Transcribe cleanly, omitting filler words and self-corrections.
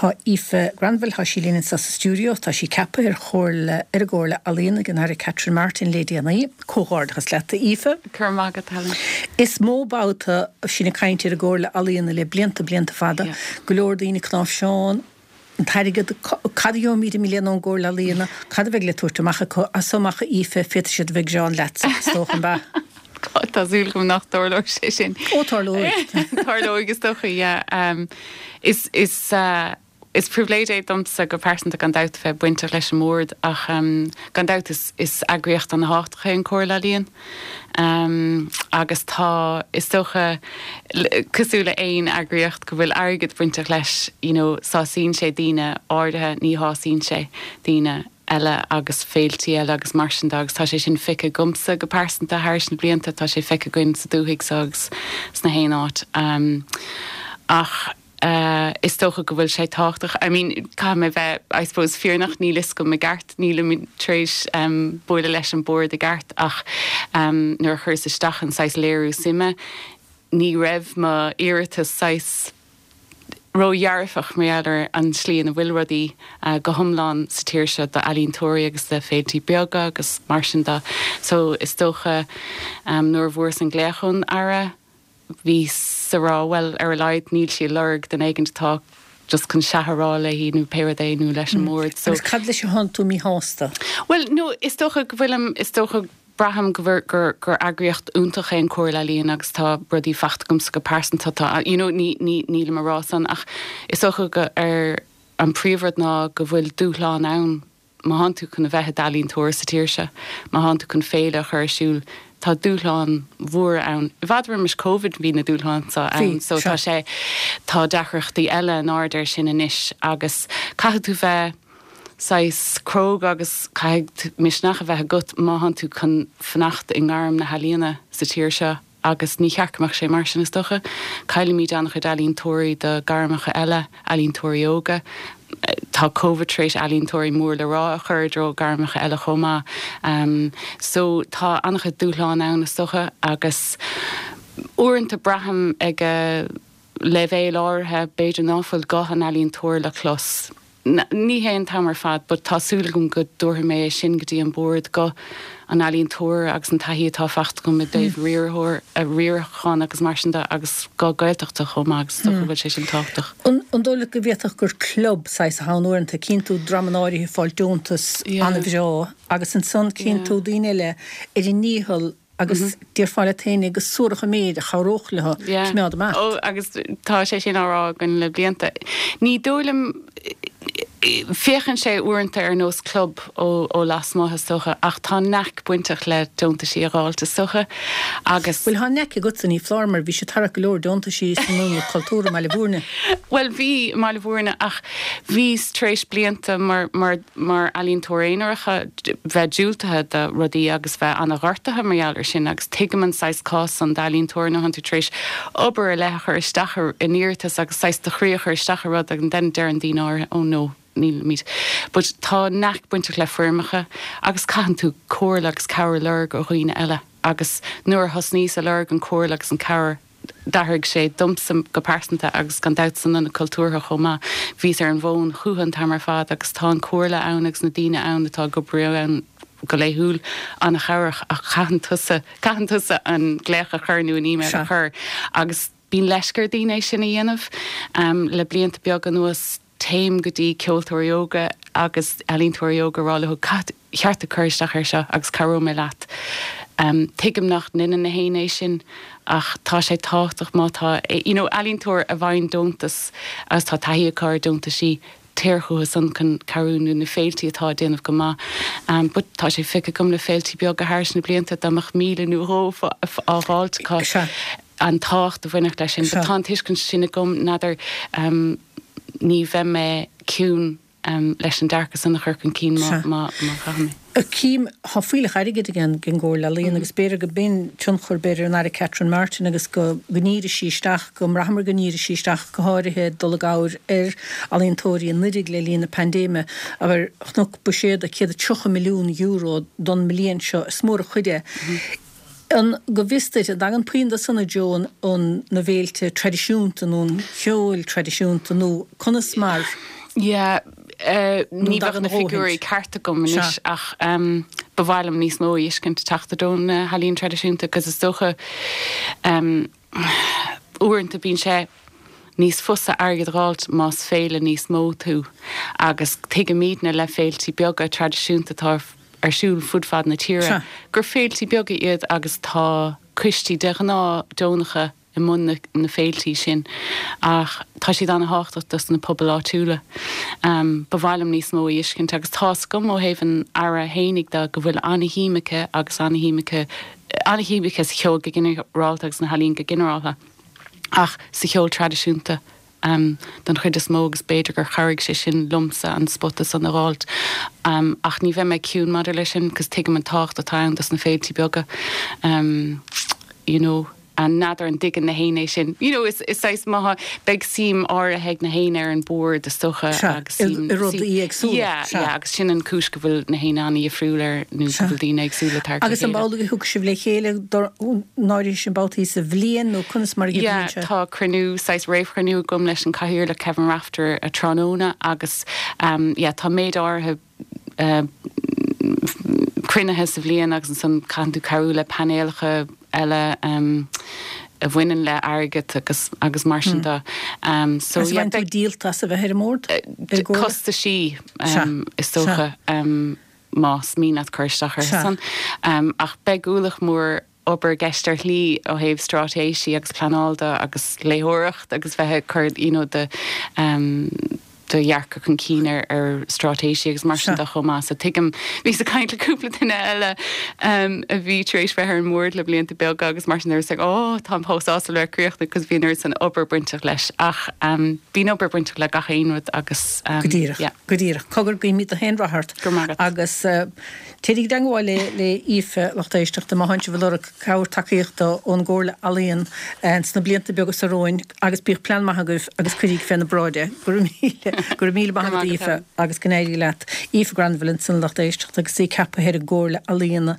Tá Aoife Granville, tá sí linn anseo sa stiúideo, tá sí ceaptha ar Chomhairle, ar an gComhairle Ealaíon ag an Aire Catherine Martin le déanaí. Comhghairdeachas leat, a Aoife. Go raibh maith agat, Helen. Is mó babhta sinn ag caint ar an gComhairle Ealaíon le blianta, blianta fada. Go leor daoine ag cnáimhseán, an t-airgead, cad a gheobhaimid i mbliana ón gComhairle Ealaíon, cad a bheidh le tabhairt amach acu? As so amach, a Aoife, féadfaidh siad a bheith ag gearán leatsa, is dócha, an ea? Tá súil agam nach dtarlóidh sé sin. Ó, tarlóidh. Tarlóidh, is dócha, yeah. Is, is, is pribhléid é domsa go pearsanta gan dabht a bheith bainteach leis an mbord ach gan dabht is, is eagraíocht ana-thábhachtach é an Chomhairle Ealaíon. Agus tá, is dócha, cosúil le aon eagraíocht go bhfuil airgead bainteach leis, you know, sásaíonn sé daoine áirithe, ní shásaíonn sé daoine eile agus féiltí eile agus mar sin de agus tá sé sin feicthe agamsa go pearsanta thairis na blianta, tá sé feicthe againn sa dúthaigh so agus sna haon áit. Ach is dócha go bhfuil sé tábhachtach, I mean caithfidh mé bheith I suppose fírinneach, níl fhios agam i gceart, nílimid tar éis bualadh leis an bord i gceart ach nuair a chuireas isteach an saghas léiriú suime ní raibh mo iarratas saghas ródhearfach mar gheall ar an tslí ina bhfuil rudaí go hiomlán sa tír seo d'ealaíontóirí agus do féiltí beaga agus mar sin de. So is dócha nuair a bhfuaireas an glaoch ón Aire bhíos a rá bhuel ar a laghad níl sí ag lorg duine éigin atá just chun sea a rá léi nó pé rud é nó leis an mbord. So. Agus cad leis a thánn tú míshásta? Bhuel no is dócha go bhfuilim, is dócha, Braithim go gur gur eagraíocht iontach é an Chomhairle Ealaíon agus tá rudaí faighte agamsa go pearsanta, tá, you know, ní, ní, nílim a rá san ach is dócha go, ar, an príomhrud ná go bhfuil dúshlán ann má thánn tú chun a bheith i d'ealaíontóir sa tír seo, má thánn tú chun féile a chur ar siúl, tá dúshláin mhóra ann. I bhfad roimis Covid bhí na dúshláin seo ann so tá sé, tá deacrachtaí eile in airde air sin anois agus caithfidh tú bheith, saghas cróga agus caithfidh misneach a bheith agat má thánn tú chun fanacht i ngairm na healaíona sa tír seo agus ní cheart go mbeadh sé mar sin is dócha. Caillimid an-chuid ealaíontóirí do gairmeacha eile, ealaíontóirí óga. Tá Covid tar éis ealaíontóirí mór le rá a chur i dtreo gairmeacha eile chomh maith. So tá an-chuid dúshlán ann is dócha agus uaireanta braithim ag leibhéal áirithe b'fhéidir ná fuil guth an ealaíontóra le clos. Ní hé an t-am ar fad but tá súil agam go dtabharfaidh mé é sin go dtí an bord, guth an ealaíontóra agus an taithí atá faighte agam i dtaobh riarthóir, riarachán agus mar sin de agus guth Gaeltachta chomh maith agus is dócha go bhfuil sé sin tábhachtach. An dóigh leat go bhféadfadh gur club saghas atá ann uaireanta, cíonn tú dreamanna áirithe ag fáil deontas an-bhreá agus ansan cíonn tú daoine eile ar a ndícheall Agus déarfá leat féin go suarach an méid a chabhródh leo coimeád amach. Ó, agus tá sé sin á rá againn le blianta. Ní dóigh liom, féachann sé uaireanta ar nós club ó lasmuigh is dócha, ach tá knack bainteach le deontaisí a dh'fháilt is dócha, agus. Bhuel, tá knack agatsa, ní foláir, mar bhís ag tarrac go leor deontaisí san Ionad Cultúrtha i mBaile Bhúirne. Bhuel, bhí i mBaile Bhúirne, ach bhíos tar éis blianta mar, mar, mar ealaíontóir aonarach bheith diúltaithe do rudaí agus bheith ana-ghortaithe mar gheall ar sin agus tuigim an saghas cás san d'ealaíontóir nuair thánn tú tar éis obair ar leith a chur isteach in iarratas agus saghas do chroí a chur isteach i rud and then deireann daoine áirithe oh no nílimid but tá knack bainteach le foirmeacha agus caitheann tú comhairle agus cabhair a lorg ó dhaoine eile agus nuair a thosnaíos a lorg an comhairle agus an cabhair D'athraigh sé domsa go pearsanta agus gan dabht san Ionad Cultúrtha chomh maith. Bhíos ar an bhfón chúthu an t-am ar fad agus tá an comhairle ann agus na daoine ann atá ag obair ann go laethúil an-chabhrach ach caitheann tusa, caitheann tusa an glaoch a chur nó an email a chur agus bíonn leisce ar daoine é sin a dhéanamh. Le blianta beaga anuas téim go dtí ceoltóirí óga agus ealaíontóirí óga a rá leo ba cheart duit cur isteach air seo agus cabhróidh mé leat. Tuigim nach ndeineann na héinne é sin ach tá sé tábhachtach má tá you know ealaíontóir a bhfaigheann deontas agus tá taithí acu ar deontaisí téir chucu san chun cabhrú nó na féiltí atá ag déanamh go maith. But tá sé feicthe agam le féiltí beaga thairis na blianta dá mbeadh 1,000 nó dhó á dh'fháilt acu. an tábhacht a bhainfeadh leis sin. But tá an tuiscint sin agam, n'fheadar, ní bheidh mé ciúin leis an dearcadh san a chur chun cinn má chaithim é. Cím, tá fuílleach airgid ag an gComhairle Ealaíon agus b'fhéidir go b'in tionchar, b'fhéidir, an Aire Catherine Martin agus go ndírigh sí isteach, go mbraitheamar go ndírigh sí isteach go háirithe dul i gcabhair ar ealaíontóirí anuiridh le linn na paindéime. Abair, chonac buiséad €130 milliún don mbliain seo, is mór an chuid é. An, go bhfios duit, an dtagann puinn de san i dtreo an, na bhféilte traidisiúnta nó an cheoil traidisiúnta nó conas mar? Yeah, ní bheadh na figiúirí ceart agam anois ach ba mhaith liom níos mó a fheiscint ag teacht i dtreo na healaíon traidisiúnta agus is dócha uaireanta bíonn sé níos fusa airgead a dh'fháilt más féile níos mó tú agus tuigimidne le féiltí beaga traidisiúnta atá ar siúl fud fad na tíre gur féiltí beaga iad agus tá coistí de ghnáth deonacha i mbun na féiltí sin ach tá siad ana-thábhachtach dos na pobail áitiúla. Ba mhaith liom níos mó a fheiscint agus tá's agam ó thaobh an Aire fhéinig de go bhfuil ana-shuim aici agus ana-shuim aici, ana-shuim aici sa cheol go ginearálta agus sna healaíona go ginearálta ach sa cheol traidisiúnta don chuid is mó agus b'fhéidir gur chabhraigh sé sin liomsa an spota san a dh'fháilt. Ach ní bheidh mé ciúin maidir leis sin cos tuigim an tábhacht atá ann dos na féiltí beaga you know. N'fheadar an dtuigeann na héinne é sin. You know, is saghas má beidh suim áirithe ag na héinne ar an bord is dócha agus suim. I rudaí éagsúla. Yeah, yeah, agus sin an cúis go bhfuil na héinne an-dhifriúil ar nó go bhfuil daoine éagsúla ag tarraingt le chéile. Agus an amhlaidh a thiocfaidh sibh le chéile don áirithe sin babhtaí sa bhliain nó conas mar a Yeah, sé? tá cruinniú, saghas réamhchruinniú agam leis an cathaoirleach Kevin Rafter tráthnóna agus yeah, tá méid áirithe cruinnithe sa bhliain agus ansan caitheann tú cabhrú le painéalacha eile a bhaineann le airgead agus agus mar sin de. So Agus yeah, bhain tú díolta as a bheith ar an mbord? Ar gcomhairle? Costaisí is dócha más mian leat cur isteach orthu san. Ach beidh ualach mór obair i gceist ar shlí ó thaobh straitéisí agus pleanáil de agus léitheoireacht agus bheith ag cur you know do do dhearcadh chun cinn ar ar straitéisí agus mar sin de chomh maith. So tuigim, bhíos ag caint le cúpla duine eile a bhí tar éis bheith ar an mbord le blianta beaga agus mar sin they were saying oh táim chomh sásta le bheith críochnaithe because bhí an oiread san obair bainteach leis ach bíonn obair bainteach le gach aon rud agus Go díreach, yeah. Go díreach. Cogar guímid gach aon rath ort. Go raibh maith agat. Agus Téiríg i dteangmháil le Aoife, lucht éisteachta, má thánn sibh ag lorg cabhair tacaíochta ón gComhairle Ealaíon sna blianta beaga so romhainn agus bíodh plean maith agaibh agus cuiríg féna bráid é. Go raibh míle, go raibh míle maith agat Aoife agus go n-éirí leat. Aoife Granville ansan, lucht éisteachta, agus í ceaptha ar an gComhairle Ealaíon.